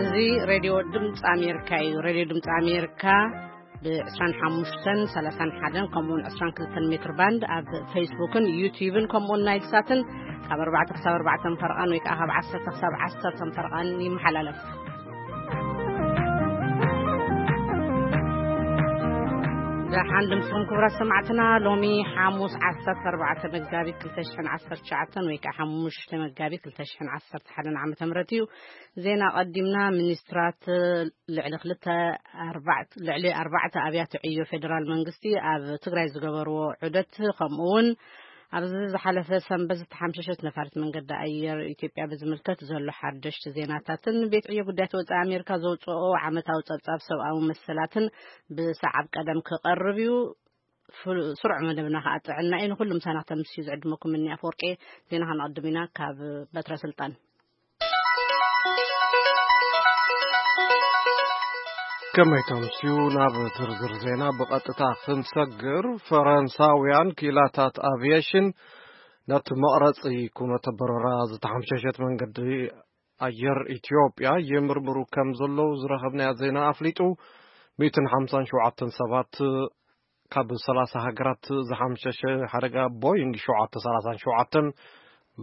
እዚ ሬድዮ ድምፂ ኣሜሪካ እዩ። ሬድዮ ድምፂ ኣሜሪካ ብ25፣ 31 ከምኡውን 22 ሜትር ባንድ ኣብ ፌስቡክን ዩቲዩብን ከምኡውን ናይል ሳትን ካብ ኣርባዕተ ክሳብ ኣርባዕተ ፈርቓን ወይ ከዓ ካብ ዓሰርተ ክሳብ ዓሰርተ ፈርቓን ይመሓላለፍ። ደሓን ድምፅኹም ክቡራት ሰማዕትና። ሎሚ ሓሙስ ዓሰርተ ኣርባዕተ መጋቢት ክልተ ሽሕን ዓሰርተ ትሽዓተን ወይ ከዓ ሓሙሽተ መጋቢት ክልተ ሽሕን ዓሰርተ ሓደን ዓመተ ምህረት እዩ። ዜና ቀዲምና። ሚኒስትራት ልዕሊ ክልተ ኣርባዕተ ልዕሊ ኣርባዕተ ኣብያተ ዕዮ ፌደራል መንግስቲ ኣብ ትግራይ ዝገበርዎ ዑደት፣ ከምኡ እውን ኣብዚ ዝሓለፈ ሰንበት ዝተሓምሸሸት ነፋሪት መንገዲ ኣየር ኢትዮጵያ ብዝምልከት ዘሎ ሓደሽቲ ዜናታትን ቤት ዕዮ ጉዳያት ወፃኢ ኣሜሪካ ዘውፅኦ ዓመታዊ ፀብፃብ ሰብኣዊ መሰላትን ብሰዓብ ቀደም ክቐርብ እዩ። ፍሉ-፣ ስሩዕ መደብና ከዓ ጥዕና እዩ። ንኩሉ ምሳና ክተምስዩ ዝዕድመኩም እኒ ኣፈወርቄ። ዜና ከነቐድም ኢና ካብ በትረ ስልጣን። ከመይ ተምስዩ? ናብ ዝርዝር ዜና ብቐጥታ ክንሰግር፣ ፈረንሳውያን ክኢላታት ኣቪዬሽን ነቲ መቕረጺ ኩነተ በረራ ዝተሓምሸሸት መንገዲ ኣየር ኢትዮጵያ ይምርምሩ ከም ዘለዉ ዝረኸብናዮ ዜና ኣፍሊጡ። ሚእትን ሓምሳን ሸውዓተን ሰባት ካብ ሰላሳ ሃገራት ዝሓምሸሸ ሓደጋ ቦይንግ ሸውዓተ ሰላሳን ሸውዓተን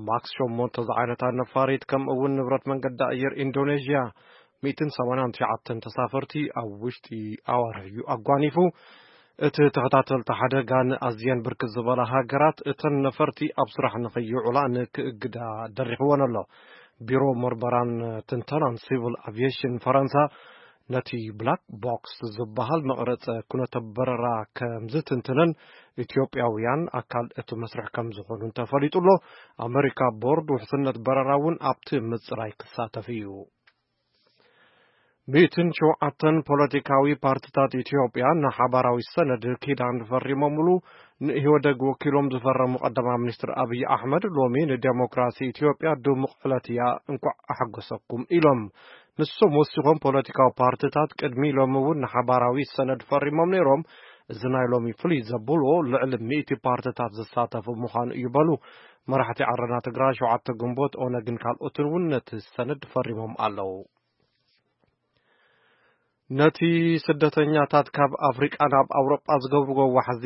ማክስ ሸሞንተ ዝዓይነታ ነፋሪት፣ ከምኡ እውን ንብረት መንገዲ ኣየር ኢንዶኔዥያ ሚእትን ሰማንያን ትሽዓተን ተሳፈርቲ ኣብ ውሽጢ ኣዋርሕ እዩ ኣጓኒፉ። እቲ ተኸታተልቲ ሓደጋ ንኣዝየን ብርክት ዝበላ ሃገራት እተን ነፈርቲ ኣብ ስራሕ ንኸይውዕላ ንክእግዳ ደሪኽወን ኣሎ። ቢሮ ምርመራን ትንተናን ሲቪል ኣቪዬሽን ፈረንሳ ነቲ ብላክ ቦክስ ዝበሃል መቕረጸ ኩነተ በረራ ከም ዝትንትንን ኢትዮጵያውያን ኣካል እቲ መስርሕ ከም ዝኾኑን ተፈሊጡ ኣሎ። ኣመሪካ ቦርድ ውሕስነት በረራ እውን ኣብቲ ምጽራይ ክሳተፍ እዩ። ሚእትን ሸውዓተን ፖለቲካዊ ፓርቲታት ኢትዮጵያ ንሓባራዊ ሰነድ ኪዳን ፈሪሞምሉ ንኢህወደግ ወኪሎም ዝፈረሙ ቀዳማይ ሚኒስትር ኣብይ ኣሕመድ ሎሚ ንዴሞክራሲ ኢትዮጵያ ድሙቕ ዕለት እያ፣ እንኳዕ ኣሐጎሰኩም ኢሎም። ንሶም ወሲኾም ፖለቲካዊ ፓርቲታት ቅድሚ ሎሚ እውን ንሓባራዊ ሰነድ ፈሪሞም ነይሮም። እዚ ናይ ሎሚ ፍሉይ ዘብሎ ልዕሊ ሚእቲ ፓርቲታት ዝሳተፉ ምዃኑ እዩ በሉ። መራሕቲ ዓረና ትግራይ፣ ሸውዓተ ግንቦት፣ ኦነግን ካልኦትን እውን ነቲ ሰነድ ፈሪሞም ኣለዉ። ነቲ ስደተኛታት ካብ ኣፍሪቃ ናብ ኣውሮጳ ዝገብርዎ ዋሕዚ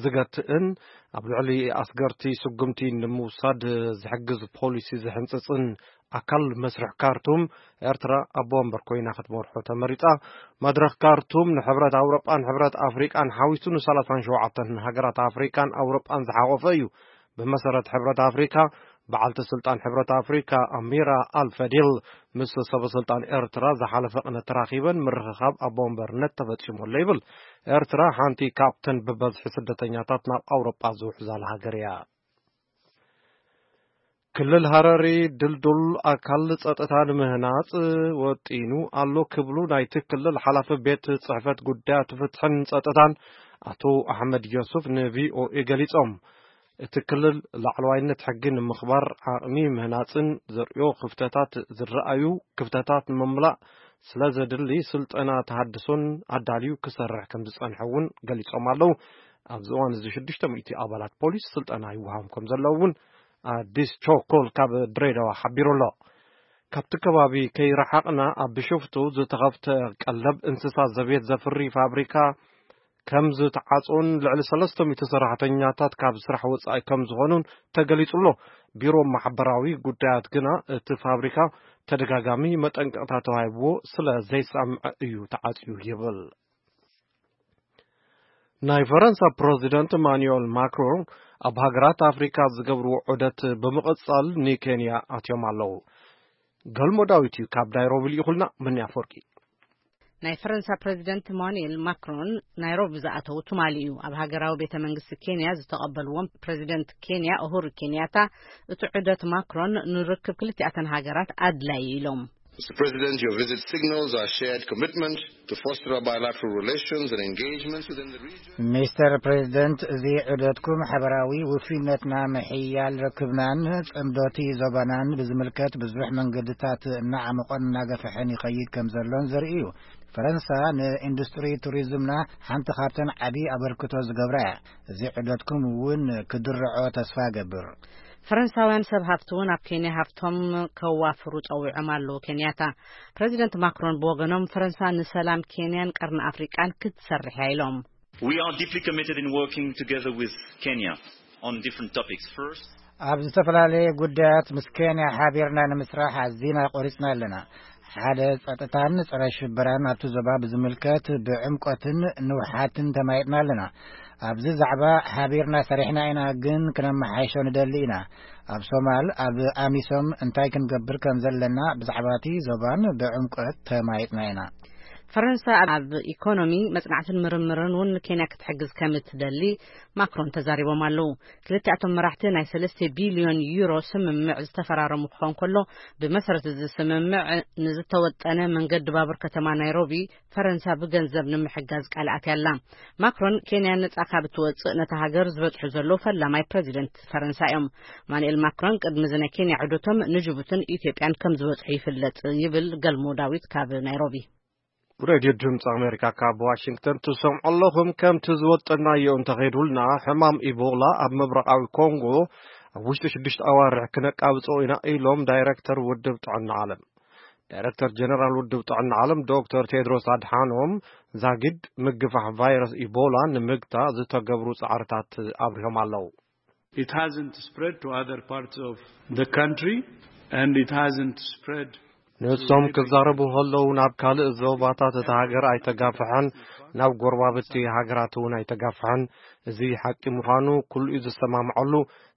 ዝገትእን ኣብ ልዕሊ ኣስገርቲ ስጉምቲ ንምውሳድ ዝሕግዝ ፖሊሲ ዝሕንጽጽን ኣካል መስርሕ ካርቱም፣ ኤርትራ ኣቦ ወንበር ኮይና ክትመርሖ ተመሪጻ። መድረኽ ካርቱም ንሕብረት ኣውሮጳን ሕብረት ኣፍሪቃን ሓዊሱ ንሰላሳን ሸውዓተን ሃገራት ኣፍሪቃን ኣውሮጳን ዝሓቖፈ እዩ። ብመሰረት ሕብረት ኣፍሪካ፣ በዓልቲ ስልጣን ሕብረት ኣፍሪካ ኣሚራ ኣልፈዲል ምስ ሰበ ስልጣን ኤርትራ ዝሓለፈ ቅነ ተራኺበን ምርኽኻብ ኣቦ ወንበርነት ተፈጺሙ ኣሎ ይብል። ኤርትራ ሓንቲ ካብተን ብበዝሒ ስደተኛታት ናብ ኣውሮጳ ዝውሕዛላ ሃገር እያ። ክልል ሃረሪ ድልዱል ኣካል ጸጥታ ንምህናጽ ወጢኑ ኣሎ ክብሉ ናይቲ ክልል ሓላፊ ቤት ጽሕፈት ጉዳያት ፍትሕን ጸጥታን ኣቶ ኣሕመድ ዮሱፍ ንቪኦኤ ገሊጾም። እቲ ክልል ላዕለዋይነት ሕጊ ንምኽባር ዓቕሚ ምህናጽን ዘርእዮ ክፍተታት፣ ዝረኣዩ ክፍተታት ንምምላእ ስለ ዘድሊ ስልጠና ተሃድሶን ኣዳልዩ ክሰርሕ ከም ዝጸንሐ እውን ገሊጾም ኣለዉ። ኣብዚ እዋን እዚ ሽዱሽተ ሚእቲ ኣባላት ፖሊስ ስልጠና ይወሃቦም ከም ዘለዉ እውን ኣዲስ ቾኮል ካብ ድሬዳዋ ሓቢሩ ኣሎ። ካብቲ ከባቢ ከይረሓቕና ኣብ ብሽፍቱ ዝተኸፍተ ቀለብ እንስሳ ዘቤት ዘፍሪ ፋብሪካ ከም ዝተዓጽኦን ልዕሊ ሰለስተ ሚእቲ ሰራሕተኛታት ካብ ስራሕ ወጻኢ ከም ዝኾኑን ተገሊጹ ኣሎ። ቢሮ ማሕበራዊ ጉዳያት ግና እቲ ፋብሪካ ተደጋጋሚ መጠንቀቕታ ተዋሂብዎ ስለ ዘይሰምዐ እዩ ተዓጽዩ ይብል። ናይ ፈረንሳ ፕረዚደንት ኢማኑኤል ማክሮን ኣብ ሃገራት ኣፍሪካ ዝገብርዎ ዑደት ብምቕጻል ንኬንያ ኣትዮም ኣለዉ። ገልሞ ዳዊት እዩ ካብ ናይሮቢ ልኢኹልና። ምን ኣፈወርቂ። ናይ ፈረንሳ ፕረዚደንት ኢማኑኤል ማክሮን ናይሮቢ ዝኣተዉ ትማሊ እዩ። ኣብ ሃገራዊ ቤተ መንግስቲ ኬንያ ዝተቐበልዎም ፕረዚደንት ኬንያ ኡሁሩ ኬንያታ፣ እቲ ዑደት ማክሮን ንርክብ ክልቲኣተን ሃገራት ኣድላዪ ኢሎም። Mister President, your visit signals our shared commitment to foster our bilateral relations and engagements within the region. ሚስተር ፕሬዚደንት፣ እዚ ዑደትኩም ሓበራዊ ውፍይነትና ምሕያል ርክብናን ጽምዶቲ ዞባናን ብዝምልከት ብዙሕ መንገድታት እናዓመቖን እናገፍሐን ይኸይድ ከም ዘሎን ዘርኢ እዩ። ፈረንሳ ንኢንዱስትሪ ቱሪዝምና ሓንቲ ካብተን ዓቢ ኣበርክቶ ዝገብራ እያ። እዚ ዑደትኩም እውን ክድርዖ ተስፋ እገብር። ፈረንሳውያን ሰብ ሃፍቲ እውን ኣብ ኬንያ ሃፍቶም ከዋፍሩ ጸዊዖም ኣለዉ። ኬንያታ፣ ፕረዚደንት ማክሮን ብወገኖም፣ ፈረንሳ ንሰላም ኬንያን ቀርኒ ኣፍሪቃን ክትሰርሕ እያ ኢሎም። We are deeply committed in working together with Kenya on different topics. First, ኣብ ዝተፈላለየ ጉዳያት ምስ ኬንያ ሓቢርና ንምስራሕ ኣዚና ቆሪጽና ኣለና። ሓደ፣ ጸጥታን ጸረ ሽበራን ኣብቲ ዞባ ብዝምልከት ብዕምቆትን ንውሓትን ተማይጥና ኣለና። ኣብዚ ዛዕባ ሓቢርና ሰሪሕና ኢና፣ ግን ክነመሓይሾ ንደሊ ኢና። ኣብ ሶማል፣ ኣብ ኣሚሶም እንታይ ክንገብር ከም ዘለና ብዛዕባ እቲ ዞባን ብዕምቆት ተማይጥና ኢና። ፈረንሳ ኣብ ኢኮኖሚ፣ መጽናዕትን ምርምርን እውን ንኬንያ ክትሕግዝ ከም እትደሊ ማክሮን ተዛሪቦም ኣለዉ። ክልቲኣቶም መራሕቲ ናይ ሰለስተ ቢልዮን ዩሮ ስምምዕ ዝተፈራረሙ ክኸውን ከሎ፣ ብመሰረት እዚ ስምምዕ ንዝተወጠነ መንገዲ ባቡር ከተማ ናይሮቢ ፈረንሳ ብገንዘብ ንምሕጋዝ ቃል ኣትያ ኣላ። ማክሮን፣ ኬንያ ነጻ ካብ እትወጽእ፣ ነታ ሃገር ዝበጽሑ ዘለዉ ፈላማይ ፕረዚደንት ፈረንሳ እዮም። ማኑኤል ማክሮን ቅድሚ እዚ ናይ ኬንያ ዑደቶም ንጅቡትን ኢትዮጵያን ከም ዝበጽሑ ይፍለጥ ይብል ገልሞ ዳዊት ካብ ናይሮቢ። ሬድዮ ድምፂ ኣሜሪካ ካብ ዋሽንግተን ትሰምዑ ኣለኹም። ከምቲ ዝወጠናዮ እንተኸይዱልና፣ ሕማም ኢቦላ ኣብ ምብራቓዊ ኮንጎ ኣብ ውሽጢ ሽዱሽተ ኣዋርሕ ክነቃብጾ ኢና ኢሎም ዳይረክተር ውድብ ጥዕና ዓለም። ዳይረክተር ጀነራል ውድብ ጥዕና ዓለም ዶክተር ቴድሮስ ኣድሓኖም፣ ዛጊድ ምግፋሕ ቫይረስ ኢቦላ ንምግታ ዝተገብሩ ጻዕርታት ኣብሪሆም ኣለዉ። It hasn't spread to other parts of the country, and it hasn't spread ንሶም ክዛረቡ ከለዉ፣ ናብ ካልእ ዞባታት እታ ሃገር ኣይተጋፍሐን፣ ናብ ጎረባብቲ ሃገራት እውን ኣይተጋፍሐን። እዚ ሓቂ ምዃኑ ኩሉ እዩ ዝሰማምዐሉ።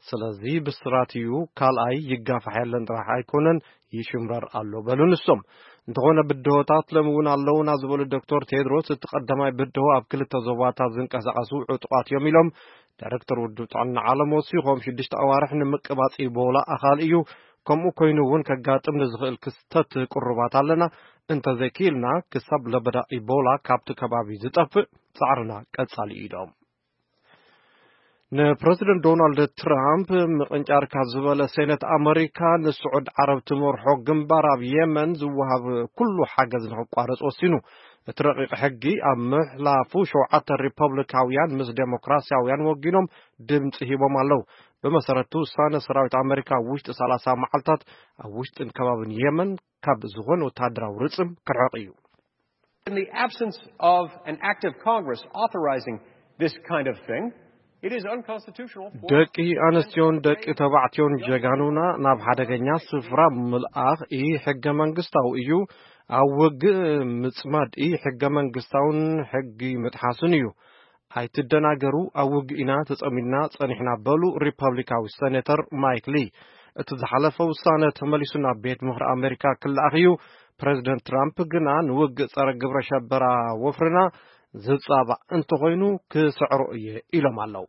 ስለዚ ብስራት እዩ። ካልኣይ፣ ይጋፋሕ የለን ጥራሕ ኣይኮነን፣ ይሽምረር ኣሎ በሉ ንሶም። እንተኾነ ብድሆታት ሎሚ እውን ኣለዉና ዝበሉ ዶክተር ቴድሮስ፣ እቲ ቀዳማይ ብድሆ ኣብ ክልተ ዞባታት ዝንቀሳቐሱ ዕጡቓት እዮም ኢሎም። ዳይረክተር ውድብ ጥዕና ዓለም ወሲኾም፣ ሽዱሽተ ኣዋርሕ ንምቅባጽ ኢቦላ ኣኻሊ እዩ። ከምኡ ኮይኑ እውን ከጋጥም ንዝኽእል ክስተት ቅሩባት ኣለና። እንተዘይክኢልና፣ ክሳብ ለበዳ ኢቦላ ካብቲ ከባቢ ዝጠፍእ ጻዕርና ቀጻሊ እዩ ኢሎም። ንፕረዚደንት ዶናልድ ትራምፕ ምቕንጫር ካብ ዝበለ ሴኔት ኣመሪካ፣ ንስዑድ ዓረብ ትመርሖ ግንባር ኣብ የመን ዝወሃብ ኩሉ ሓገዝ ንኽቋረጽ ወሲኑ። እቲ ረቂቕ ሕጊ ኣብ ምሕላፉ፣ ሸውዓተ ሪፐብሊካውያን ምስ ዴሞክራሲያውያን ወጊኖም ድምጺ ሂቦም ኣለዉ። ብመሰረቱ፣ ውሳነ ሰራዊት ኣመሪካ ኣብ ውሽጢ ሰላሳ መዓልታት ኣብ ውሽጥን ከባብን የመን ካብ ዝኾነ ወተሃደራዊ ርጽም ክርሕቕ እዩ። In the absence of an act of Congress authorizing this kind of thing, it is unconstitutional for ደቂ ኣንስትዮን ደቂ ተባዕትዮን ጀጋኑና ናብ ሓደገኛ ስፍራ ምልኣኽ ኢ ሕገ መንግስታዊ እዩ። ኣብ ውግእ ምጽማድ ኢ ሕገ መንግስታውን ሕጊ ምጥሓሱን እዩ። ኣይትደናገሩ፣ ኣብ ውግእ ኢና ተጸሚድና ጸኒሕና በሉ ሪፐብሊካዊ ሴኔተር ማይክ ሊ። እቲ ዝሓለፈ ውሳነ ተመሊሱ ናብ ቤት ምኽሪ ኣሜሪካ ክለኣኽ እዩ። ፕረዚደንት ትራምፕ ግና ንውግእ ጸረ ግብረ ሸበራ ወፍርና ዝጻባእ እንተኾይኑ ክስዕሮ እየ ኢሎም ኣለዉ።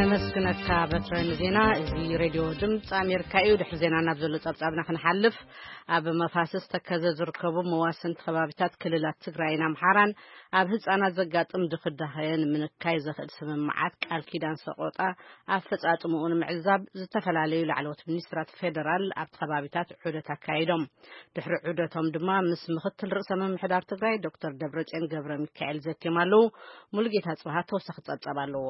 ነመስግነካ በትረ ንዜና። እዚ ሬድዮ ድምፂ ኣሜሪካ እዩ። ድሕሪ ዜና ናብ ዘሎ ጸብጻብና ክንሓልፍ፣ ኣብ መፋስስ ተከዘ ዝርከቡ መዋስንቲ ከባቢታት ክልላት ትግራይን ኣምሓራን ኣብ ህፃናት ዘጋጥም ድኽዳኸ ንምንካይ ዘኽእል ስምምዓት ቃል ኪዳን ሰቆጣ ኣፈጻጽምኡ ንምዕዛብ ዝተፈላለዩ ላዕለዎት ሚኒስትራት ፌደራል ኣብቲ ከባቢታት ዑደት ኣካይዶም። ድሕሪ ዑደቶም ድማ ምስ ምኽትል ርእሰ ምምሕዳር ትግራይ ዶክተር ደብረጽዮን ገብረ ሚካኤል ዘትዮም ኣለዉ። ሙሉጌታ ጽብሃ ተወሳኺ ጸብጻብ ኣለዎ።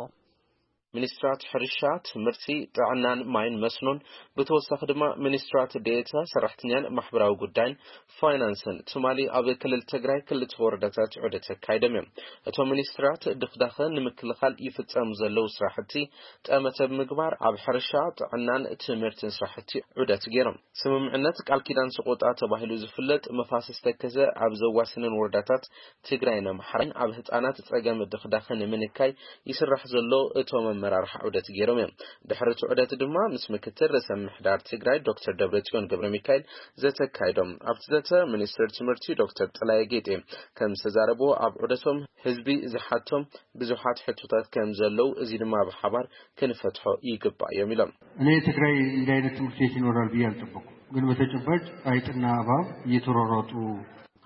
ሚኒስትራት ሕርሻ፣ ትምህርቲ፣ ጥዕናን ማይን መስኖን፣ ብተወሳኺ ድማ ሚኒስትራት ዴኤታ ሰራሕተኛን ማሕበራዊ ጉዳይን ፋይናንስን ትማሊ ኣብ ክልል ትግራይ ክልተ ወረዳታት ዑደት ኣካይዶም እዮም። እቶም ሚኒስትራት ድኽዳኸ ንምክልኻል ይፍጸሙ ዘለዉ ስራሕቲ ጠመተ ብምግባር ኣብ ሕርሻ፣ ጥዕናን ትምህርትን ስራሕቲ ዑደት ገይሮም። ስምምዕነት ቃል ኪዳን ሰቆጣ ተባሂሉ ዝፍለጥ መፋስስ ተከዘ ኣብ ዘዋስነን ወረዳታት ትግራይን ኣምሓራን ኣብ ህፃናት ፀገም ድኽዳኸ ንምንካይ ይስራሕ ዘሎ እቶም ኣመራርሓ ዑደት ገይሮም እዮም። ድሕሪ እቲ ዑደት ድማ ምስ ምክትል ርእሰ ምምሕዳር ትግራይ ዶክተር ደብረጽዮን ገብረ ሚካኤል ዘተ ኣካይዶም። ኣብቲ ዘተ ሚኒስትር ትምህርቲ ዶክተር ጥላየ ጌጤ ከም ዝተዛረብዎ ኣብ ዑደቶም ህዝቢ ዝሓቶም ብዙሓት ሕቶታት ከም ዘለዉ፣ እዚ ድማ ብሓባር ክንፈትሖ ይግባእ እዮም ኢሎም። እኔ ትግራይ እንዲህ አይነት ትምህርት ቤት ይኖራል ብዬ አልጠበኩም፣ ግን በተጨባጭ አይጥና እባብ እየተሯሯጡ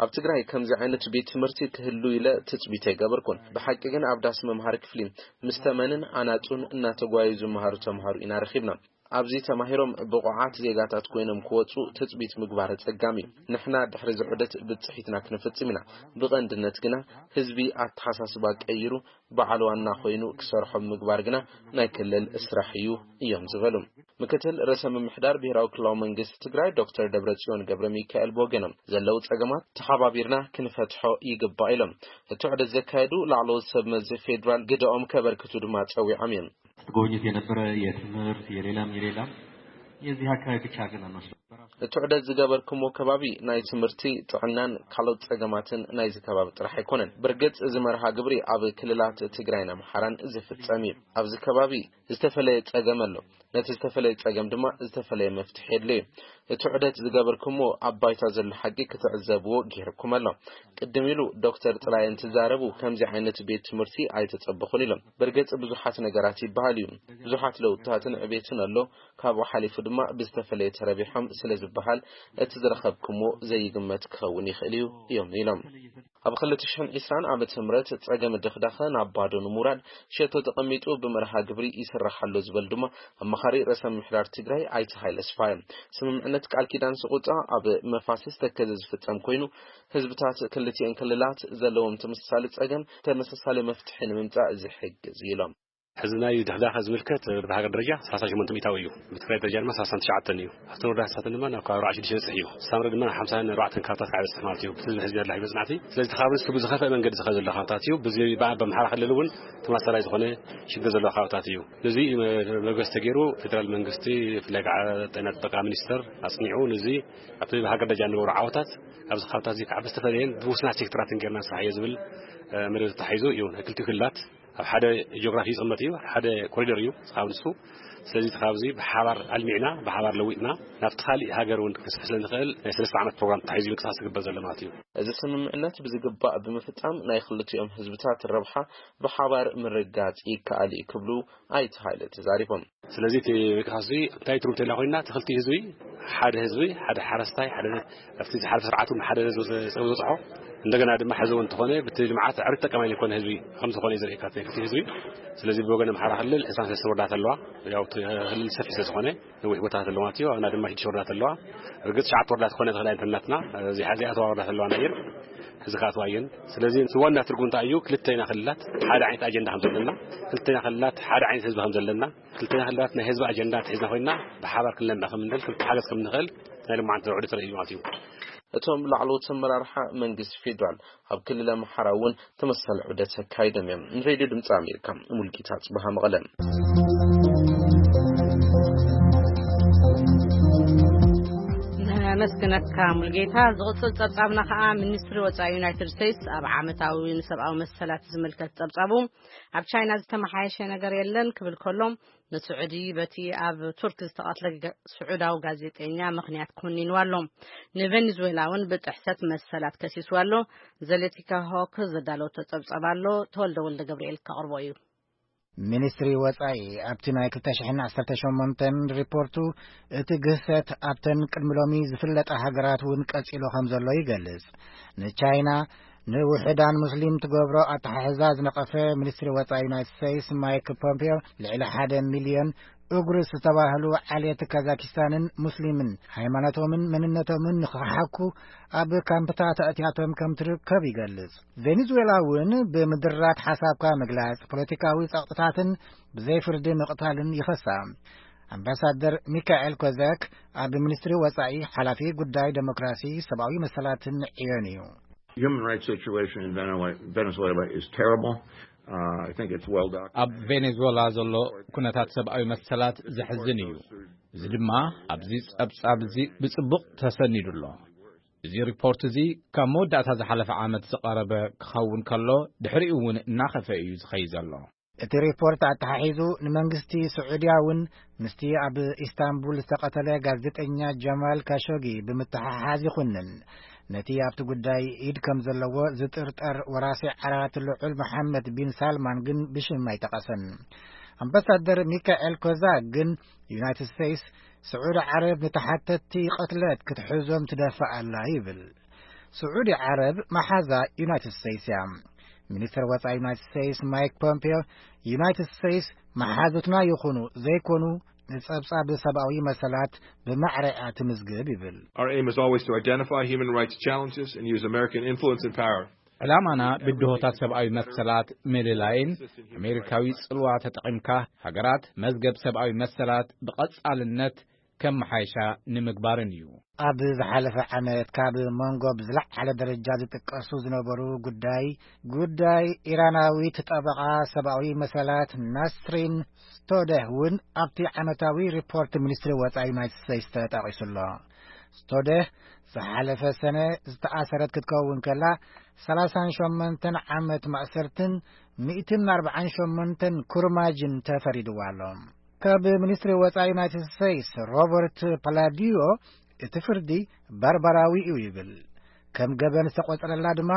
ኣብ ትግራይ ከምዚ ዓይነት ቤት ትምህርቲ ክህሉ ኢለ ትጽቢት ኣይገበርኩን። ብሓቂ ግን ኣብ ዳስ መምሃሪ ክፍሊ ምስ ተመንን ኣናጹን እናተጓዩ ዝመሃሩ ተምሃሩ ኢና ረኺብና። ኣብዚ ተማሂሮም ብቑዓት ዜጋታት ኮይኖም ክወጹ ትጽቢት ምግባር ኣጸጋሚ እዩ። ንሕና ድሕሪ ዝዑደት ብጽሒትና ክንፍጽም ኢና። ብቐንድነት ግና ህዝቢ ኣተሓሳስባ ቀይሩ በዓል ዋና ኮይኑ ክሰርሖም ምግባር ግና ናይ ክልል ስራሕ እዩ እዮም ዝበሉ። ምክትል ርእሰ ምምሕዳር ብሔራዊ ክልላዊ መንግስቲ ትግራይ ዶክተር ደብረጽዮን ገብረ ሚካኤል ብወገኖም ዘለዉ ጸገማት ተሓባቢርና ክንፈትሖ ይግባእ ኢሎም። እቲ ዑደት ዘካየዱ ላዕለዎት ሰብ መዚ ፌዴራል ግደኦም ከበርክቱ ድማ ጸዊዖም እዮም። ጉብኝት የነበረ የትምህርት የሌላም የሌላም የዚህ አካባቢ ብቻ ግን አንወስድም። እቲ ዑደት ዝገበርኩሞ ከባቢ ናይ ትምህርቲ፣ ጥዕናን ካልኦት ጸገማትን ናይዚ ከባቢ ጥራሕ ኣይኮነን። ብርግጽ እዚ መርሃ ግብሪ ኣብ ክልላት ትግራይን ኣምሓራን ዝፍጸም እዩ። ኣብዚ ከባቢ ዝተፈለየ ጸገም ኣሎ። ነቲ ዝተፈለየ ጸገም ድማ ዝተፈለየ መፍትሒ የድልዮ። እቲ ዑደት ዝገበርኩሞ ኣብ ባይታ ዘሎ ሓቂ ክትዕዘብዎ ገይርኩም ኣሎ። ቅድም ኢሉ ዶክተር ጥላይ እንትዛረቡ ከምዚ ዓይነት ቤት ትምህርቲ ኣይተጸበኹን ኢሎም። ብርግጽ ብዙሓት ነገራት ይበሃል እዩ። ብዙሓት ለውጥታትን ዕቤትን ኣሎ። ካብኡ ሓሊፉ ድማ ብዝተፈለየ ተረቢሖም ስለ ዝበሃል እቲ ዝረኸብኩሞ ዘይግመት ክኸውን ይኽእል እዩ እዮም ኢሎም። ኣብ ክልተ ሽሕን ዕስራን ዓመተ ምህረት ጸገም ድኽዳኸ ናብ ባዶ ንምውራድ ሸቶ ተቐሚጡ ብመርሃ ግብሪ ይስራሕ ኣሎ ዝበሉ ድማ ኣማኻሪ ርእሰ ምምሕዳር ትግራይ ኣይተ ሃይለ ስፋ እዮም። ስምምዕነት ቃል ኪዳን ስቑጣ ኣብ መፋስስ ተከዘ ዝፍጸም ኮይኑ ህዝብታት ክልቲኤን ክልላት ዘለዎም ተመሳሳሊ ጸገም ተመሳሳሊ መፍትሒ ንምምጻእ ዝሕግዝ እዩ ኢሎም። ሕዚ ናይ ድኽዳኸ ዝምልከት ብሃገር ደረጃ ሰላሳ ሸሞንተ ሚእታዊ እዩ። ብትግራይ ደረጃ ድማ ሰላሳን ትሽዓተን እዩ። ኣብተን ወረዳታትን ድማ ናብ ከባቢ ኣርባዓ ሽዱሽተ ይበፅሕ እዩ። ሳምረ ድማ ሓምሳን ኣርባዕተን ከባብታት ከዓ ይበፅሕ ማለት እዩ። ብቲ ህዝቢ ሕዚ ኣላ ይበፅናት እዩ። ስለዚ እቲ ከባቢ ንሱ ብዝኸፍአ መንገዲ ዝኸ ዘሎ ከባብታት እዩ። ብዚ በ- በምሓራ ክልል እውን ተመሳሳላይ ዝኾነ ሽግር ዘለዎ ከባብታት እዩ። ነዚ መበገሲ ተገይሩ ፌደራል መንግስቲ ብፍላይ ከዓ ጥዕና ጥበቃ ሚኒስተር ኣፅኒዑ ነዚ ኣብቲ ብሃገር ደረጃ ንገብሮ ዓወታት ኣብዚ ከባብታት እዚ ከዓ ብዝተፈለየን ብውስናት ሴክተራትን ጌርና ንስራሕ እዮ ዝብል መደብ ተታሒዙ እዩ። ናይ ክልቲኡ ክልላት ኣብ ሓደ ጂኦግራፊ ይቕመጥ እዩ፣ ሓደ ኮሪደር እዩ ካብ ንሱ። ስለዚ እቲ ካብዚ ብሓባር ኣልሚዕና ብሓባር ለዊጥና ናብቲ ካሊእ ሃገር እውን ክንስፍሕ ስለ ንኽእል ናይ ሰለስተ ዓመት ፕሮግራም ተታሒዙ ምንቅስቃስ ዝግበር ዘሎ ማለት እዩ። እዚ ስምምዕነት ብዝግባእ ብምፍጻም ናይ ክልቲኦም ህዝብታት ረብሓ ብሓባር ምርጋጽ ይከኣል እዩ ክብሉ ኣይተ ሃይለ ተዛሪቦም። ስለዚ እቲ ምንቅስቃስ እዚ እንታይ ትርጉም ተላ ኮይና እቲ ክልቲኡ ህዝቢ ሓደ ህዝቢ ሓደ ሓረስታይ ሓደ ኣብቲ ሓደ ስርዓት እውን ሓደ ህዝቢ ጸው ዝበፅሖ እንደገና ድማ ሕዚ እውን እንተኾነ ብቲ ልምዓት ዕርት ጠቀማይ ዝኾነ ህዝቢ ከም ዝኾነ እዩ ዘርእየካ እቲ ክልቲኡ ህዝቢ። ስለዚ ብወገን ኣምሓራ ክልል ዕስራን ሰለስተ ወረዳታት ኣለዋ። ያው እቲ ክልል ሰፊሕ ስለ ዝኾነ ነዊሕ ቦታታት ኣለዋ ማለት እዩ። ኣብና ድማ ሽዱሽተ ወረዳታት ኣለዋ። ርግፅ ትሽዓተ ወረዳታት ክኾነ ትኽእል ኣይንተናትና እዚኣ እዚኣተዋ ወረዳታት ኣለዋ ናየን እዚ ከኣትዋ እየን። ስለዚ እቲ ዋና ትርጉም እንታይ እዩ? ክልተና ክልላት ሓደ ዓይነት ኣጀንዳ ከም ዘለና፣ ክልተና ክልላት ሓደ ዓይነት ህዝቢ ከም ዘለና፣ ክልተና ክልላት ናይ ህዝቢ ኣጀንዳ ተሒዝና ኮይና ብሓባር ክንለምዕ ከም ንኽእል፣ ክልተ ሓገዝ ከም ንኽእል ናይ ልማዓንቲ ዘውዕሉ ተርእዩ ማለት እዩ። እቶም ላዕለዎት ኣመራርሓ መንግስቲ ፌዴራል ኣብ ክልል ኣምሓራ እውን ተመሳሳሊ ዑደት ኣካይዶም እዮም። ንሬድዮ ድምፂ ኣሜሪካ ሙልጌታ ጽበሃ መቐለ። ነመስግነካ ሙልጌታ። ዝቕጽል ጸብጻብና ከኣ ሚኒስትሪ ወጻኢ ዩናይትድ ስቴትስ ኣብ ዓመታዊ ንሰብኣዊ መሰላት ዝምልከት ጸብጻቡ ኣብ ቻይና ዝተመሓየሸ ነገር የለን ክብል ከሎ ንስዑዲ በቲ ኣብ ቱርክ ዝተቐትለ ስዑዳዊ ጋዜጠኛ ምኽንያት ኮኒንዋ ኣሎ። ንቬኔዙዌላ እውን ብጥሕሰት መሰላት ከሲስዋ ኣሎ። ዘሌቲካ ሆክ ዘዳለወቶ ጸብጻብ ኣሎ። ተወልደ ወልደ ገብርኤል ከቕርቦ እዩ። ሚኒስትሪ ወጻኢ ኣብቲ ናይ ክልተ ሽሕን ዓሰርተ ሸሞንተን ሪፖርቱ እቲ ግህሰት ኣብተን ቅድሚ ሎሚ ዝፍለጣ ሃገራት እውን ቀጺሉ ከም ዘሎ ይገልጽ። ንቻይና ንውሑዳን ሙስሊም ትገብሮ ኣተሓሕዛ ዝነቐፈ ሚኒስትሪ ወጻኢ ዩናይትድ ስቴትስ ማይክ ፖምፒዮ ልዕሊ ሓደ ሚልዮን ኡግርስ ዝተባህሉ ዓሌት ካዛኪስታንን ሙስሊምን ሃይማኖቶምን መንነቶምን ንኽሓኩ ኣብ ካምፕታት ኣእትያቶም ከም ትርከብ ይገልጽ። ቬኔዙዌላ እውን ብምድራት ሓሳብካ ምግላጽ፣ ፖለቲካዊ ጸቕጥታትን ብዘይ ፍርዲ ምቕታልን ይኸሳ። ኣምባሳደር ሚካኤል ኮዛክ ኣብ ሚኒስትሪ ወጻኢ ሓላፊ ጉዳይ ዴሞክራሲ፣ ሰብኣዊ መሰላትን ዕዮን እዩ። Human rights situation in Venezuela is terrible. Uh, I think it's well documented. ኣብ ቬኔዙዌላ ዘሎ ኩነታት ሰብኣዊ መሰላት ዘሕዝን እዩ። እዚ ድማ ኣብዚ ጸብጻብ እዚ ብጽቡቕ ተሰኒዱ ኣሎ። እዚ ሪፖርት እዚ ካብ መወዳእታ ዝሓለፈ ዓመት ዝቐረበ ክኸውን ከሎ ድሕሪኡ እውን እናኸፈ እዩ ዝኸይ ዘሎ። እቲ ሪፖርት ኣተሓሒዙ ንመንግስቲ ስዑድያ እውን ምስቲ ኣብ ኢስታንቡል ዝተቐተለ ጋዜጠኛ ጀማል ካሾጊ ብምትሕሓዝ ይኹንን ነቲ ኣብቲ ጉዳይ ኢድ ከም ዘለዎ ዝጥርጠር ወራሲ ዓራት ልዑል መሓመድ ቢን ሳልማን ግን ብሽም ኣይጠቐሰን። ኣምባሳደር ሚካኤል ኮዛ ግን ዩናይትድ ስቴትስ ስዑዲ ዓረብ ንተሓተትቲ ቅትለት ክትሕዞም ትደፍእ ኣላ ይብል። ስዑዲ ዓረብ መሓዛ ዩናይትድ ስቴትስ እያ። ሚኒስትር ወጻኢ ዩናይትድ ስቴትስ ማይክ ፖምፒዮ ዩናይትድ ስቴትስ መሓዙትና ይኹኑ ዘይኮኑ ንጸብጻብ ሰብኣዊ መሰላት ብማዕረ እያ ትምዝግብ ይብል። Our aim is always to identify human rights challenges and use American influence and power. ዕላማና ብድሆታት ሰብኣዊ መሰላት ምልላይን ኣሜሪካዊ ጽልዋ ተጠቒምካ ሃገራት መዝገብ ሰብኣዊ መሰላት ብቐጻልነት ከመሓይሻ ንምግባርን እዩ። ኣብ ዝሓለፈ ዓመት ካብ መንጎ ብዝለዓለ ደረጃ ዝጥቀሱ ዝነበሩ ጉዳይ፣ ጉዳይ ኢራናዊት ጠበቓ ሰብኣዊ መሰላት ናስሪን ስቶደህ እውን ኣብቲ ዓመታዊ ሪፖርት ሚኒስትሪ ወጻኢ ዩናይትድ ስቴትስ ተጠቒሱ ኣሎ። ስቶደህ ዝሓለፈ ሰነ ዝተኣሰረት ክትከውን ከላ፣ ሰላሳን ሸሞንተን ዓመት ማእሰርትን ሚእትን ኣርባዓን ሸሞንተን ኩርማጅን ተፈሪድዋ ኣሎ። ካብ ሚኒስትሪ ወጻኢ ዩናይትድ ስቴትስ ሮበርት ፓላዲዮ፣ እቲ ፍርዲ ባርባራዊ እዩ ይብል። ከም ገበን ዝተቖጸረላ ድማ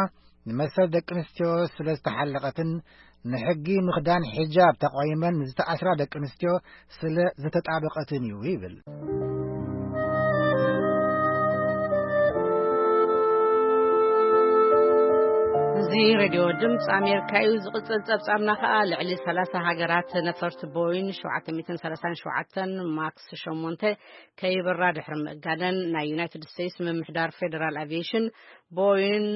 ንመሰል ደቂ ኣንስትዮ ስለ ዝተሓለቐትን ንሕጊ ምኽዳን ሒጃብ ተቓዊመን ዝተኣስራ ደቂ ኣንስትዮ ስለ ዝተጣበቐትን እዩ ይብል። እዚ ሬድዮ ድምፂ ኣሜሪካ እዩ። ዝቕፅል ጸብጻብና ከኣ ልዕሊ ሰላሳ ሃገራት ነፈርቲ ቦይን ሸውዓተ ሚእትን ሰላሳን ሸውዓተን ማክስ ሸሞንተ ከይበራ ድሕሪ ምእጋደን ናይ ዩናይትድ ስቴትስ ምምሕዳር ፌደራል ኣቪዬሽን ቦይን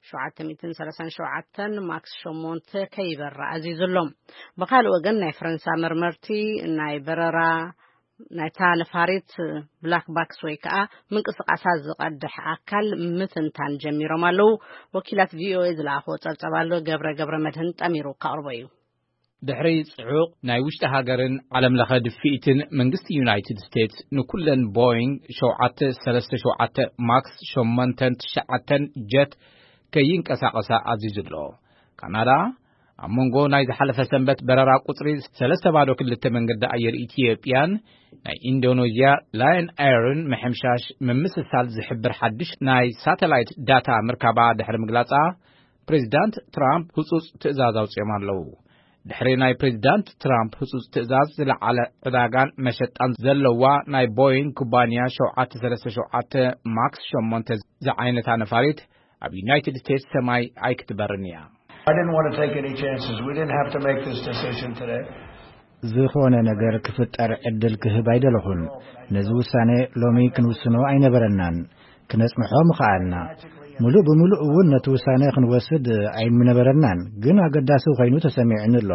ሸውዓተ ሚእትን ሰላሳን ሸውዓተን ማክስ ሸሞንተ ከይበራ ኣዚዙ ኣሎ። ብኻልእ ወገን ናይ ፈረንሳ መርመርቲ ናይ በረራ ናይታ ነፋሪት ብላክ ባክስ ወይ ከዓ ምንቅስቃሳ ዝቐድሕ ኣካል ምትንታን ጀሚሮም ኣለዉ። ወኪላት ቪኦኤ ዝለኣኽዎ ጸብጸብ ኣሎ። ገብረ ገብረ መድህን ጠሚሩ ከቕርቦ እዩ። ድሕሪ ጽዑቕ ናይ ውሽጢ ሃገርን ዓለም ለኸ ድፍኢትን መንግስቲ ዩናይትድ ስቴትስ ንኩለን ቦይንግ ሸውዓተ ሰለስተ ሸውዓተ ማክስ ሸሞንተን ትሽዓተን ጀት ከይንቀሳቐሳ ኣዚዙ ኣሎ። ካናዳ ኣብ መንጎ ናይ ዝሓለፈ ሰንበት በረራ ቁጽሪ ሰለስተ ባዶ ክልተ መንገዲ ኣየር ኢትዮጵያን ናይ ኢንዶኔዥያ ላየን ኤርን ምሕምሻሽ ምምስሳል ዝሕብር ሓድሽ ናይ ሳተላይት ዳታ ምርካባ ድሕሪ ምግላጻ፣ ፕሬዚዳንት ትራምፕ ህጹጽ ትእዛዝ ኣውጺኦም ኣለዉ። ድሕሪ ናይ ፕሬዚዳንት ትራምፕ ህጹጽ ትእዛዝ፣ ዝለዓለ ዕዳጋን መሸጣን ዘለዋ ናይ ቦይንግ ኩባንያ ሸውዓተ ሰለስተ ሸውዓተ ማክስ ሸሞንተ ዝዓይነታ ነፋሪት ኣብ ዩናይትድ ስቴትስ ሰማይ ኣይክትበርን እያ። I didn't want to take any chances. We didn't have to make this decision today. ዝኾነ ነገር ክፍጠር ዕድል ክህብ ኣይደለኹን። ነዚ ውሳነ ሎሚ ክንውስኖ ኣይነበረናን። ክነጽንሖ ምኸኣልና። ሙሉእ ብምሉእ እውን ነቲ ውሳነ ክንወስድ ኣይምነበረናን። ግን ኣገዳሲ ኮይኑ ተሰሚዑኒ ኣሎ።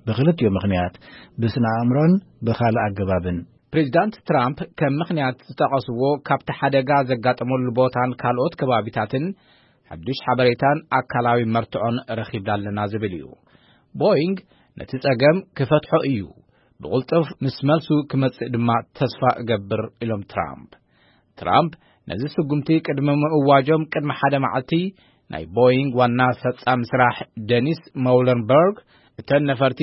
ብኽልቲኡ ምኽንያት፣ ብስነ ኣእምሮን ብኻልእ ኣገባብን። ፕሬዚዳንት ትራምፕ ከም ምኽንያት ዝጠቐስዎ፣ ካብቲ ሓደጋ ዘጋጠመሉ ቦታን ካልኦት ከባቢታትን ሓድሽ ሓበሬታን ኣካላዊ መርትዖን ረኺብና ኣለና ዝብል እዩ። ቦይንግ ነቲ ጸገም ክፈትሖ እዩ፣ ብቕልጡፍ ምስ መልሱ ክመጽእ ድማ ተስፋ እገብር፣ ኢሎም ትራምፕ። ትራምፕ ነዚ ስጉምቲ ቅድሚ ምእዋጆም ቅድሚ ሓደ መዓልቲ፣ ናይ ቦይንግ ዋና ፈጻሚ ስራሕ ደኒስ ሞለንበርግ፣ እተን ነፈርቲ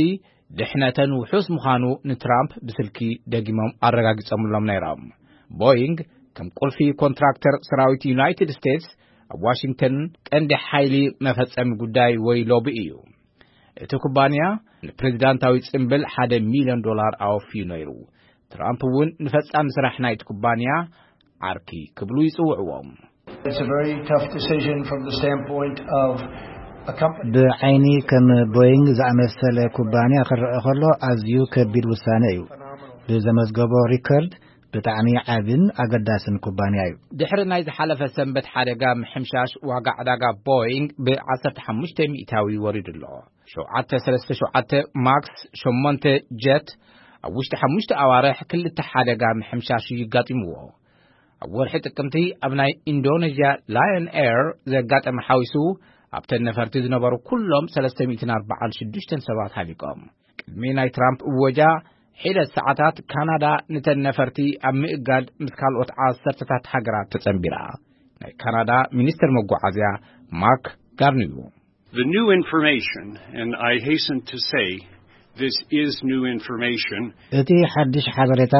ድሕነተን ውሑስ ምዃኑ ንትራምፕ ብስልኪ ደጊሞም ኣረጋጊጾምሎም ነይሮም። ቦይንግ ከም ቁልፊ ኮንትራክተር ሰራዊት ዩናይትድ ስቴትስ፣ ኣብ ዋሽንግተን ቀንዲ ሓይሊ መፈጸሚ ጉዳይ ወይ ሎቢ እዩ። እቲ ኩባንያ ንፕሬዚዳንታዊ ጽምብል ሓደ ሚልዮን ዶላር ኣወፍዩ ነይሩ። ትራምፕ እውን ንፈጻሚ ስራሕ ናይቲ ኩባንያ ዓርኪ ክብሉ ይጽውዕዎም። It's a very tough decision from the standpoint of a company. ብዓይኒ ከም ቦይንግ ዝኣመሰለ ኩባንያ ክረአ ከሎ፣ ኣዝዩ ከቢድ ውሳነ እዩ። ብዘመዝገቦ ሪከርድ፣ ብጣዕሚ ዓብን ኣገዳስን ኩባንያ እዩ። ድሕሪ ናይ ዝሓለፈ ሰንበት ሓደጋ ምሕምሻሽ፣ ዋጋ ዕዳጋ ቦይንግ ብ ዓሰርተ ሓሙሽተ ሚእታዊ ወሪዱ ኣሎ። ሸውዓተ ሰለስተ ሸውዓተ ማክስ ሸሞንተ ጀት ኣብ ውሽጢ ሓሙሽተ ኣዋርሕ ክልተ ሓደጋ ምሕምሻሽ እዩ ኣጋጢምዎ። ኣብ ወርሒ ጥቅምቲ ኣብ ናይ ኢንዶኔዥያ ላየን ኤር ዘጋጠመ ሓዊሱ፣ ኣብተን ነፈርቲ ዝነበሩ ኩሎም ሰለስተ ሚእትን ኣርባዓን ሽዱሽተን ሰባት ሃሊቆም። ቅድሚ ናይ ትራምፕ እወጃ ሒደት ሰዓታት፣ ካናዳ ንተን ነፈርቲ ኣብ ምእጋድ ምስ ካልኦት ዓሰርተታት ሃገራት ተጸንቢራ። ናይ ካናዳ ሚኒስትር መጓዓዝያ ማርክ ጋርኒዩ። The new information, and I hasten to say this is new information. እቲ ሓድሽ ሓበሬታ፣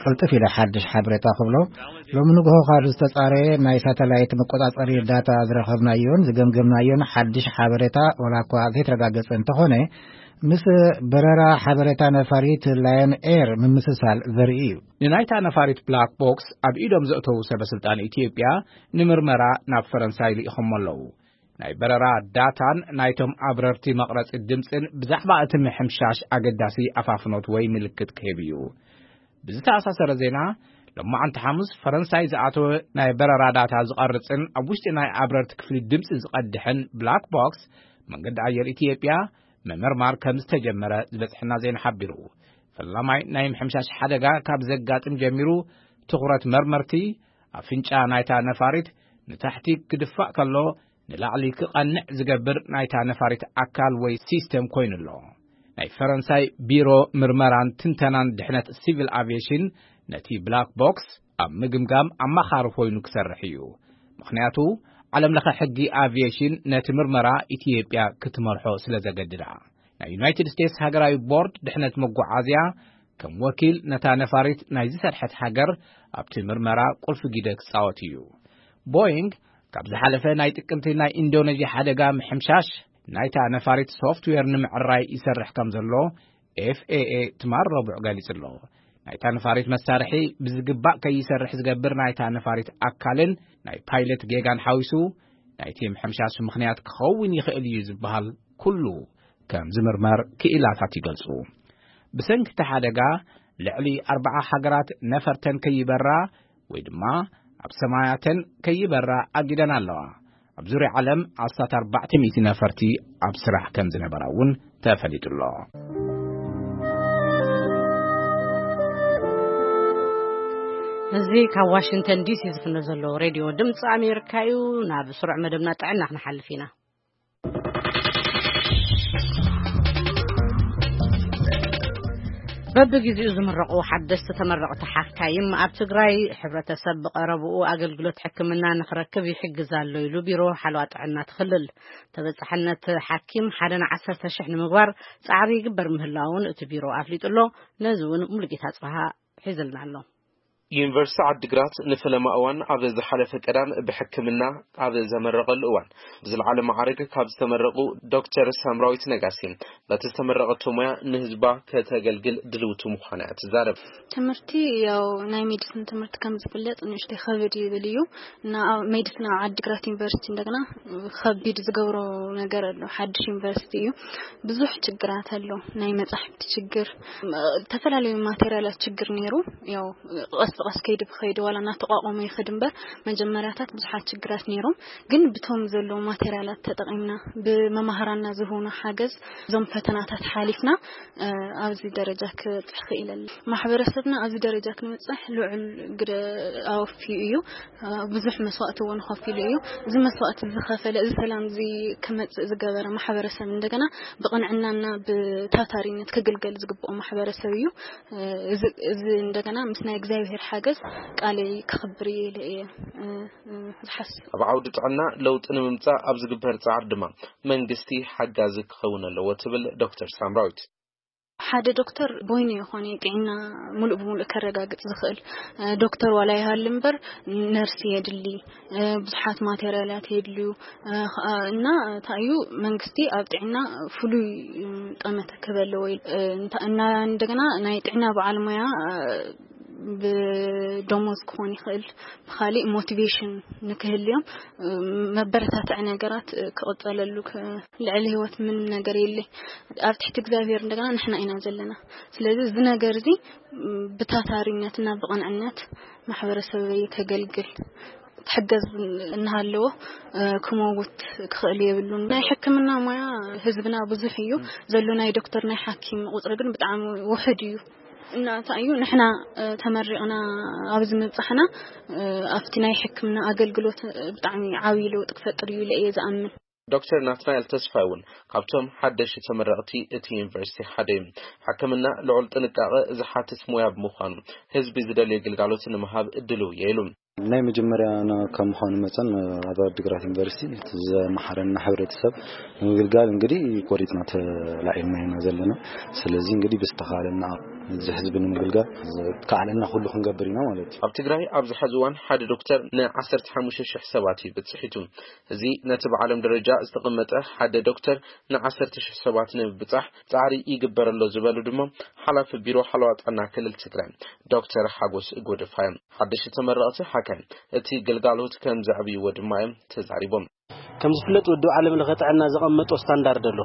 ቅልጥፍ ኢለ ሓድሽ ሓበሬታ ክብሎ፣ ሎሚ ንግሆ ካብ ዝተጻረየ ናይ ሳተላይት መቆጻጸሪ ዳታ ዝረኸብናዮን ዝገምገምናዮን ሓድሽ ሓበሬታ፣ ዋላ እኳ ዘይተረጋገጸ እንተኾነ፣ ምስ በረራ ሓበሬታ ነፋሪት ላየን ኤር ምምስሳል ዘርኢ እዩ። ንናይታ ነፋሪት ብላክ ቦክስ ኣብ ኢዶም ዘእተዉ ሰበ ስልጣን ኢትዮጵያ ንምርመራ ናብ ፈረንሳይ ልኢኾሞ ኣለዉ። ናይ በረራ ዳታን ናይቶም ኣብረርቲ መቕረጺ ድምጽን ብዛዕባ እቲ ምሕምሻሽ ኣገዳሲ ኣፋፍኖት ወይ ምልክት ክህብ እዩ። ብዝተኣሳሰረ ዜና፣ ሎማዓንቲ ሓሙስ ፈረንሳይ ዝኣተወ ናይ በረራ ዳታ ዝቐርጽን ኣብ ውሽጢ ናይ ኣብረርቲ ክፍሊ ድምፂ ዝቐድሕን ብላክ ቦክስ መንገዲ ኣየር ኢትዮጵያ ምምርማር ከም ዝተጀመረ ዝበፅሐና ዜና ሓቢሩ። ፈላማይ ናይ ምሕምሻሽ ሓደጋ ካብ ዘጋጥም ጀሚሩ ትኹረት መርመርቲ ኣፍንጫ ናይታ ነፋሪት ንታሕቲ ክድፋእ ከሎ ንላዕሊ ክቐንዕ ዝገብር ናይታ ነፋሪት ኣካል ወይ ሲስተም ኮይኑ ኣሎ። ናይ ፈረንሳይ ቢሮ ምርመራን ትንተናን ድሕነት ሲቪል ኣቪዬሽን ነቲ ብላክ ቦክስ ኣብ ምግምጋም ኣማኻሪ ኮይኑ ክሰርሕ እዩ። ምኽንያቱ ዓለም ለኸ ሕጊ ኣቪዬሽን ነቲ ምርመራ ኢትዮጵያ ክትመርሖ ስለ ዘገድዳ። ናይ ዩናይትድ ስቴትስ ሃገራዊ ቦርድ ድሕነት መጓዓዝያ ከም ወኪል ነታ ነፋሪት ናይ ዝሰርሐት ሃገር ኣብቲ ምርመራ ቁልፊ ግደ ክጻወት እዩ። ቦይንግ ካብ ዝሓለፈ ናይ ጥቅምቲ ናይ ኢንዶነዥያ ሓደጋ ምሕምሻሽ ናይታ ነፋሪት ሶፍትዌር ንምዕራይ ይሰርሕ ከም ዘሎ ኤፍ ኤ ኤ ትማል ረቡዕ ገሊጹ ኣሎ። ናይታ ነፋሪት መሳርሒ ብዝግባእ ከይሰርሕ ዝገብር ናይታ ነፋሪት ኣካልን ናይ ፓይለት ጌጋን ሓዊሱ ናይቲ ምሕምሻሽ ምኽንያት ክኸውን ይኽእል እዩ ዝበሃል ኩሉ ከም ዝምርመር ክኢላታት ይገልጹ። ብሰንኪ እቲ ሓደጋ ልዕሊ ኣርባዓ ሃገራት ነፈርተን ከይበራ ወይ ድማ ኣብ ሰማያተን ከይበራ ኣጊደን ኣለዋ። ኣብ ዙርያ ዓለም ኣስታት ኣርባዕተ ሚእቲ ነፈርቲ ኣብ ስራሕ ከም ዝነበራ እውን ተፈሊጡ ኣሎ። እዚ ካብ ዋሽንግተን ዲሲ ዝፍኖ ዘሎ ሬድዮ ድምፂ ኣሜሪካ እዩ። ናብ ስሩዕ መደብና ጥዕና ክንሓልፍ ኢና። በብግዜኡ ዝምረቑ ሓደስቲ ተመረቕቲ ሓካይም ኣብ ትግራይ ሕብረተሰብ ብቐረብኡ ኣገልግሎት ሕክምና ንኽረክብ ይሕግዝ ኣሎ ኢሉ ቢሮ ሓለዋ ጥዕና እቲ ክልል። ተበፃሕነት ሓኪም ሓደ ንዓሰርተ ሽሕ ንምግባር ፃዕሪ ይግበር ምህላውን እቲ ቢሮ ኣፍሊጡ ኣሎ። ነዚ እውን ሙሉጌታ ኣፅበሃ ሒዝልና ኣሎ። ዩኒቨርሲቲ ዓዲግራት ንፈለማ እዋን ኣብ ዝሓለፈ ቀዳም ብሕክምና ኣብ ዘመረቐሉ እዋን ብዝለዓለ ማዕረግ ካብ ዝተመረቑ ዶክተር ሳምራዊት ነጋሲ በቲ ዝተመረቐቶ ሞያ ንህዝባ ከተገልግል ድልውቲ ምዃና እያ ትዛረብ። ትምህርቲ ያው ናይ ሜዲሲን ትምህርቲ ከም ዝፍለጥ ንእሽተይ ከበድ ይብል እዩ። እና ኣብ ሜዲሲን ኣብ ዓዲግራት ዩኒቨርሲቲ እንደገና ከቢድ ዝገብሮ ነገር ኣሎ። ሓድሽ ዩኒቨርሲቲ እዩ። ብዙሕ ችግራት ኣሎ። ናይ መጻሕፍቲ ችግር፣ ዝተፈላለዩ ማቴሪያላት ችግር ነይሩ። ያው ቀስ ብቀስ ከይዲ ብኸይዲ ዋላ እናተቋቋመ ይኸድ እምበር መጀመርያታት ብዙሓት ችግራት ነይሮም። ግን ብቶም ዘለዉ ማቴሪያላት ተጠቒምና ብመማህራንና ዝህቡና ሓገዝ እዞም ፈተናታት ሓሊፍና ኣብዚ ደረጃ ክበፅሕ ክኢለና። ማሕበረሰብና ኣብዚ ደረጃ ክንበፅሕ ልዑል ግደ ኣወፊዩ እዩ። ብዙሕ መስዋእቲ እውን ከፊሉ እዩ። እዚ መስዋእቲ ዝኸፈለ፣ እዚ ሰላም እዚ ክመፅእ ዝገበረ ማሕበረሰብ እንደገና ብቕንዕናና ብታታሪነት ክግልገል ዝግብኦ ማሕበረሰብ እዩ። እዚ እዚ እንደገና ምስ ናይ እግዚኣብሔር ሓገዝ ቃለይ ክኽብር እየ ኢለ እየ ዝሓስብ። ኣብ ዓውዲ ጥዕና ለውጢ ንምምፃእ ኣብ ዝግበር ፃዕሪ ድማ መንግስቲ ሓጋዚ ክኸውን ኣለዎ ትብል ዶክተር ሳምራዊት። ሓደ ዶክተር በይኑ ይኾነ ጥዕና ሙሉእ ብሙሉእ ከረጋግጽ ዝኽእል ዶክተር ዋላ ይሃሉ እምበር ነርስ የድሊ፣ ብዙሓት ማቴሪያላት የድልዩ። እና እንታይ እዩ መንግስቲ ኣብ ጥዕና ፍሉይ ጠመተ ክህበለዎ እና እንደገና ናይ ጥዕና በዓል ሞያ ብደሞዝ ክኾን ይኽእል፣ ብኻሊእ ሞቲቬሽን ንክህልዮም መበረታትዒ ነገራት ክቕጸለሉ። ልዕሊ ህይወት ምንም ነገር የለ። ኣብ ትሕቲ እግዚኣብሔር እንደገና ንሕና ኢና ዘለና። ስለዚ እዚ ነገር እዚ ብታታሪነትና ብቕንዕነት ማሕበረሰበይ ከገልግል ትሕገዝ እናሃለዎ ክመውት ክኽእል የብሉን። ናይ ሕክምና ሞያ ህዝብና ብዙሕ እዩ ዘሎ። ናይ ዶክተር ናይ ሓኪም ቁፅሪ ግን ብጣዕሚ ውሕድ እዩ። እና እንታይ እዩ ንሕና ተመሪቕና ኣብዚ ምብፃሕና ኣብቲ ናይ ሕክምና ኣገልግሎት ብጣዕሚ ዓብዪ ለውጢ ክፈጥር እዩ ኢለ እየ ዝኣምን። ዶክተር ናትናኤል ተስፋይ እውን ካብቶም ሓደሽቲ ተመረቕቲ እቲ ዩኒቨርሲቲ ሓደ እዩ። ሕክምና ልዑል ጥንቃቐ ዝሓትት ሞያ ብምዃኑ ህዝቢ ዝደልዮ ግልጋሎት ንምሃብ ድልው እየ ኢሉ። ናይ መጀመርያና ካብ ምዃኑ መጠን ኣብ ዓዲግራት ዩኒቨርሲቲ እቲ ዘመሓረና ሕብረተሰብ ንምግልጋል እንግዲህ ቆሪፅና ተላዒልና ኢና ዘለና። ስለዚ እንግዲህ ብዝተኻለና እዚ ህዝቢ ንምግልጋል ዝከኣለና ኩሉ ክንገብር ኢና ማለት እዩ። ኣብ ትግራይ ኣብዚ ሕዚ እዋን ሓደ ዶክተር ን15 ሺሕ ሰባት እዩ ብፅሒቱ። እዚ ነቲ ብዓለም ደረጃ ዝተቐመጠ ሓደ ዶክተር ን10 ሺሕ ሰባት ንምብጻሕ ጻዕሪ ይግበር ኣሎ ዝበሉ ድማ ሓላፊ ቢሮ ሓለዋ ጥዕና ክልል ትግራይ ዶክተር ሓጎስ ጎደፋ እዮም። ሓደሽቲ ተመረቕቲ ሓካይም እቲ ግልጋሎት ከም ዘዕብይዎ ድማ እዮም ተዛሪቦም። ከም ዝፍለጥ ውድብ ዓለም ለኸ ጥዕና ዘቐመጦ ስታንዳርድ ኣሎ።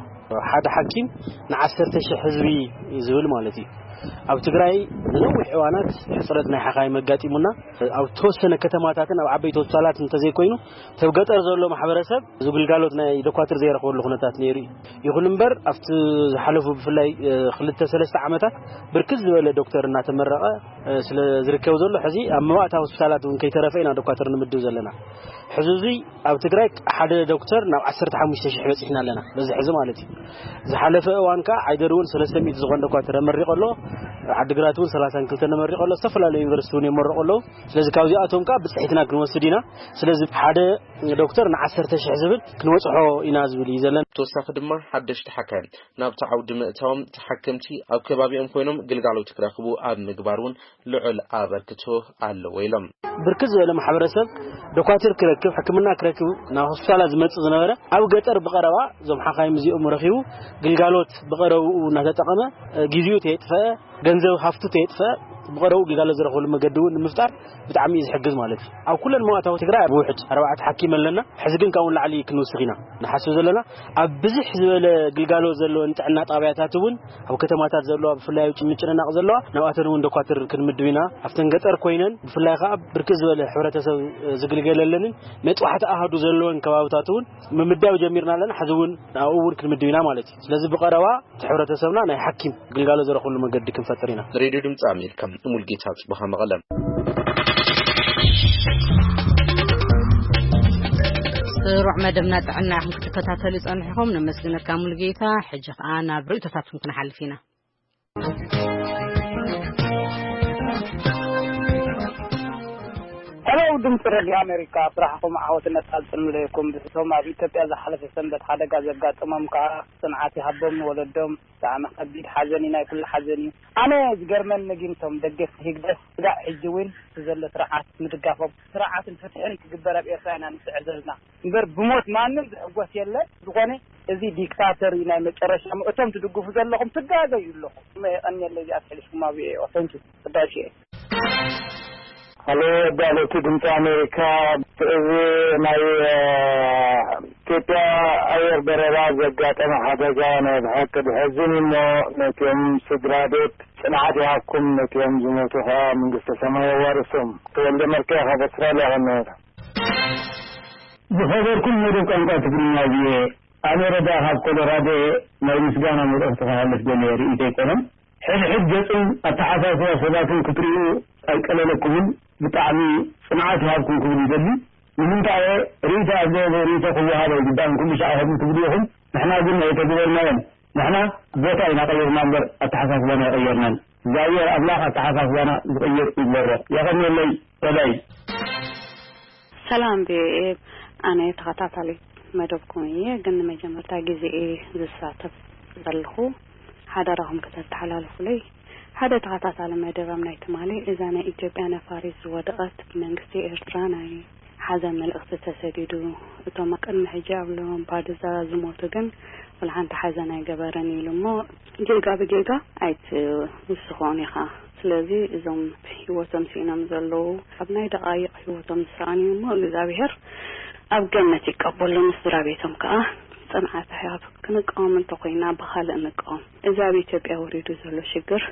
ሓደ ሓኪም ን10 ሺሕ ህዝቢ እዩ ዝብል ማለት እዩ። ኣብ ትግራይ ንነዊሕ እዋናት ሕፅረት ናይ ሓኻይም ኣጋጢሙና፣ ኣብ ተወሰነ ከተማታትን ኣብ ዓበይቲ ሆስፒታላት እንተዘይኮይኑ፣ ተብ ገጠር ዘሎ ማሕበረሰብ እዚ ግልጋሎት ናይ ዶኳትር ዘይረኽበሉ ኩነታት ነይሩ እዩ። ይኹን እምበር ኣብቲ ዝሓለፉ ብፍላይ ክልተ ሰለስተ ዓመታት ብርክት ዝበለ ዶክተር እናተመረቐ ስለ ዝርከብ ዘሎ፣ ሕዚ ኣብ መባእታ ሆስፒታላት እውን ከይተረፈ ኢና ዶኳትር ንምድብ ዘለና። ሕዚ እዙይ ኣብ ትግራይ ሓደ ዶክተር ናብ ዓሰርተ ሓሙሽተ ሺሕ በፂሕና ኣለና በዚ ሕዚ ማለት እዩ። ዝሓለፈ እዋን ከዓ ዓይደር እውን ሰለስተ ሚእቲ ዝኾን ዶኳትር ኣመሪቑ ኣሎ። ዓድግራት እውን ሰላሳን ክልተን ኣመሪቑ ኣሎ። ዝተፈላለዩ ዩኒቨርሲቲ እውን የመረቑ ኣለዉ። ስለዚ ካብዚኣቶም ከዓ ብፅሒትና ክንወስድ ኢና። ስለዚ ሓደ ዶክተር ንዓሰርተ ሺሕ ዝብል ክንወፅሖ ኢና ዝብል እዩ ዘለና። ተወሳኺ ድማ ሓደሽቲ ሓካይም ናብቲ ዓውዲ ምእታዎም ተሓከምቲ ኣብ ከባቢኦም ኮይኖም ግልጋሎት ክረኽቡ ኣብ ምግባር እውን ልዑል ኣበርክቶ ኣለዎ ኢሎም። ብርክት ዝበለ ማሕበረሰብ ዶኳትር ክረክብ፣ ሕክምና ክረክብ ናብ ሆስፒታላት ዝመጽእ ዝነበረ ኣብ ገጠር ብቐረባ እዞም ሓኻይም እዚኦም ረኺቡ ግልጋሎት ብቐረብኡ እናተጠቐመ፣ ግዜኡ ተየጥፈ፣ ገንዘብ ሃፍቱ ተየጥፈ፣ ብቐረብኡ ግልጋሎት ዝረኽበሉ መገዲ እውን ንምፍጣር ብጣዕሚ እዩ ዝሕግዝ ማለት እዩ። ኣብ ኩለን መዋእታዊ ትግራይ ብውሕድ ኣርባዕተ ሓኪም ኣለና። ሕዚ ግን ካብኡ ንላዕሊ ክንውስኽ ኢና ንሓስብ ዘለና። ኣብ ብዝሕ ዝበለ ግልጋሎት ዘለወን ጥዕና ጣብያታት እውን ኣብ ከተማታት ዘለዋ፣ ብፍላይ ኣብ ምጭንናቕ ዘለዋ፣ ናብኣተን እውን ዶኳትር ክንምድብ ኢና። ኣብተን ገጠር ኮይነን ብፍላይ ከዓ ብርክት ዝበለ ሕብረተሰብ ዝግልገለለንን መጥባሕቲ ኣሃዱ ዘለወን ከባብታት እውን ምምዳብ ጀሚርና ኣለና። ሕዚ እውን ኣብኡ እውን ክንምድብ ኢና ማለት እዩ። ስለዚ ብቐረባ እቲ ሕብረተሰብና ናይ ሓኪም ግልጋሎት ዝረኽብሉ መገዲ ክንፈጥር ኢና። ሬድዮ ድምፂ ኣሜሪካ፣ ሙልጌታ ጽቡሃ መቐለ። ስሩዕ መደብና ጥዕና ኢኹም ክትከታተሉ ጸኒሕኹም። ነመስግነካ ሙልጌታ። ሕጂ ኸኣ ናብ ርእይቶታትኩም ክንሓልፍ ኢና። ሄሎ፣ ድምፂ ሬድዮ ኣሜሪካ፣ ስራሕኹም ዓወትን ነፃፅን ይኹን። ብቶም ኣብ ኢትዮጵያ ዝሓለፈ ሰንበት ሓደጋ ዘጋጠሞም ከዓ ጽንዓት ይሃቦም፣ ንወለዶም ብጣዕሚ ከቢድ ሓዘን እዩ፣ ናይ ኩሉ ሓዘን እዩ። ኣነ ዝገርመኒ ግን እቶም ደገፍቲ ህግደፍ ስጋዕ ሕጂ እውን እቲ ዘሎ ስርዓት ምድጋፎም፣ ስርዓትን ፍትሕን ክግበር ኣብ ኤርትራ ኢና ንስዕር ዘለና። እምበር ብሞት ማንም ዝሕጎስ የለን። ዝኾነ እዚ ዲክታተር እዩ ናይ መጨረሻ። እቶም ትድግፉ ዘለኹም ትጋገዩ ኣለኹም። እሞ የቐንየለይ እዚኣ ትሕልሽኩም ኣብ ኤኦ። Thank you። ቅዳሽ እየ። ሃሎ፣ ኣዳለውቲ ድምፂ ኣሜሪካ፣ እዚ ናይ፣ እ፣ ኢትዮጵያ ኣየር በረራ ዘጋጠመ ሓደጋ ናይ ብሓቂ ዘሕዝን እዩ። እሞ ነቲኦም ስድራ ቤት ጽንዓት ይሃብኩም፣ ነቲኦም ዝሞቱ ከዓ መንግስተ ሰማይ የዋርሶም። ተወልደ መርካ ካብ ኣውስትራልያ ከመይ። ዝኸበርኩም መደብ ቋንቋ ትግርኛ ቪኦኤ፣ ኣነ ረዳ ካብ ኮሎራዶ እየ። ናይ ምስጋና መልእኽቲ ክሃልፍ ደልየ፣ ርእይቶ ኣይኮነን። ሕድሕድ ገጽን ኣተሓሳስባ ሰባትን ክትርእዩ ኣይቀለለኩምን። ብጣዕሚ ጽንዓት ይሃብኩም ክብል ይደሊ። ንምንታይ እየ ርእይቶ ኣብ ዘየለ ርእይቶ ክወሃብ ኣይግባእን፣ ኩሉ ሻዕ ከምኡ ትብሉ ኢኹም። ንሕና ግን ኣይተግበርናዮን። ንሕና ቦታ ኢና ቀይርና እምበር ኣተሓሳስባና ኣይቐየርናን። እግዚኣብሔር ኣምላኽ ኣተሓሳስባና ዝቕይር ይግበሮ። የቐንየለይ። በላይ። ሰላም ቪኦኤ፣ ኣነ ተኸታታሊ መደብኩም እየ፣ ግን ንመጀመርታ ግዜ እየ ዝሳተፍ ዘለኹ። ሓደራኹም ከተተሓላልፉለይ። ሓደ ተኸታታሊ መደብ ኣብ ናይ ትማሊ እዛ ናይ ኢትዮጵያ ነፋሪት ዝወደቐት ብመንግስቲ ኤርትራ ናይ ሓዘን መልእኽቲ ተሰዲዱ። እቶም ቅድሚ ሕጂ ኣብ ላምፓዱዛ ዝሞቱ ግን ወላ ሓንቲ ሓዘን ኣይገበረን ኢሉ እሞ ጌጋ ብጌጋ ኣይትውስኾን ኢኻ። ስለዚ እዞም ህይወቶም ስኢኖም ዘለዉ ኣብ ናይ ደቓይቕ ህይወቶም ዝሰኣኑ እሞ እግዚኣብሔር ኣብ ገነት ይቀበሎም። ስድራ ቤቶም ከኣ ጽንዓት ይሃብ። ክንቃወም እንተኾይና ብኻልእ ንቃወም። እዚ ኣብ ኢትዮጵያ ወሪዱ ዘሎ ሽግር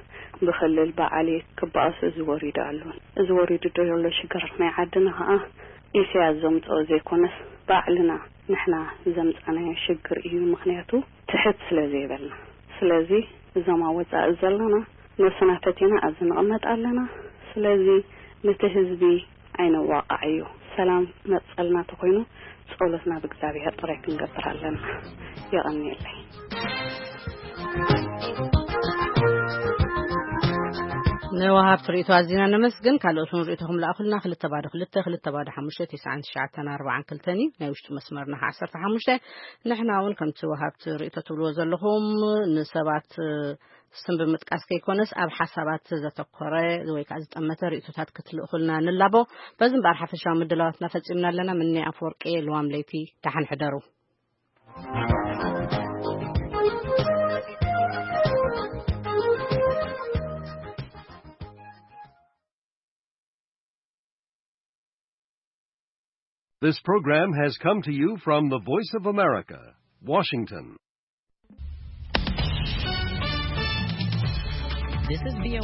ብክልል ብዓሌት ክበኣሱ እዚ ወሪዱ ኣሎ። እዚ ወሪዱ ዘሎ ሽግር ናይ ዓድና ከኣ ኢሳያስ ዘምጽኦ ዘይኮነስ ባዕልና ንሕና ዘምጻናዮ ሽግር እዩ። ምኽንያቱ ትሕት ስለ ዘይበልና። ስለዚ እዞም ኣብ ወጻኢ ዘለና ነብስና ፈቲና ኣብዚ ንቕመጥ ኣለና። ስለዚ ነቲ ህዝቢ ኣይነዋቃዓዮ። ሰላም መጸልና ተኾይኑ ጸሎትና ብእግዚኣብሔር ጥራይ ክንገብር ኣለና። የቐንየለይ። ንወሃብቲ ርእይቶ ኣዚና ነመስግን። ካልኦት እውን ርእይቶኹም ለኣኹልና። ክልተ ባዶ ክልተ፣ ክልተ ባዶ ሓሙሽተ፣ ትስዓን ትሽዓተን ኣርባዓን ክልተን እዩ ናይ ውሽጢ መስመርና ዓሰርተ ሓሙሽተ። ንሕና እውን ከምቲ ወሃብቲ ርእይቶ ትብልዎ ዘለኹም ንሰባት ስም ብምጥቃስ ከይኮነስ ኣብ ሓሳባት ዘተኮረ ወይ ከዓ ዝጠመተ ርእይቶታት ክትልእኹልና ንላቦ። በዚ እምበኣር ሓፈሻዊ ምድላዋትና ፈጺምና ኣለና። ምኒ ኣፈወርቂ፣ ልዋም ለይቲ፣ ደሓን ሕደሩ። This program has come to you from the Voice of America, Washington. This is V O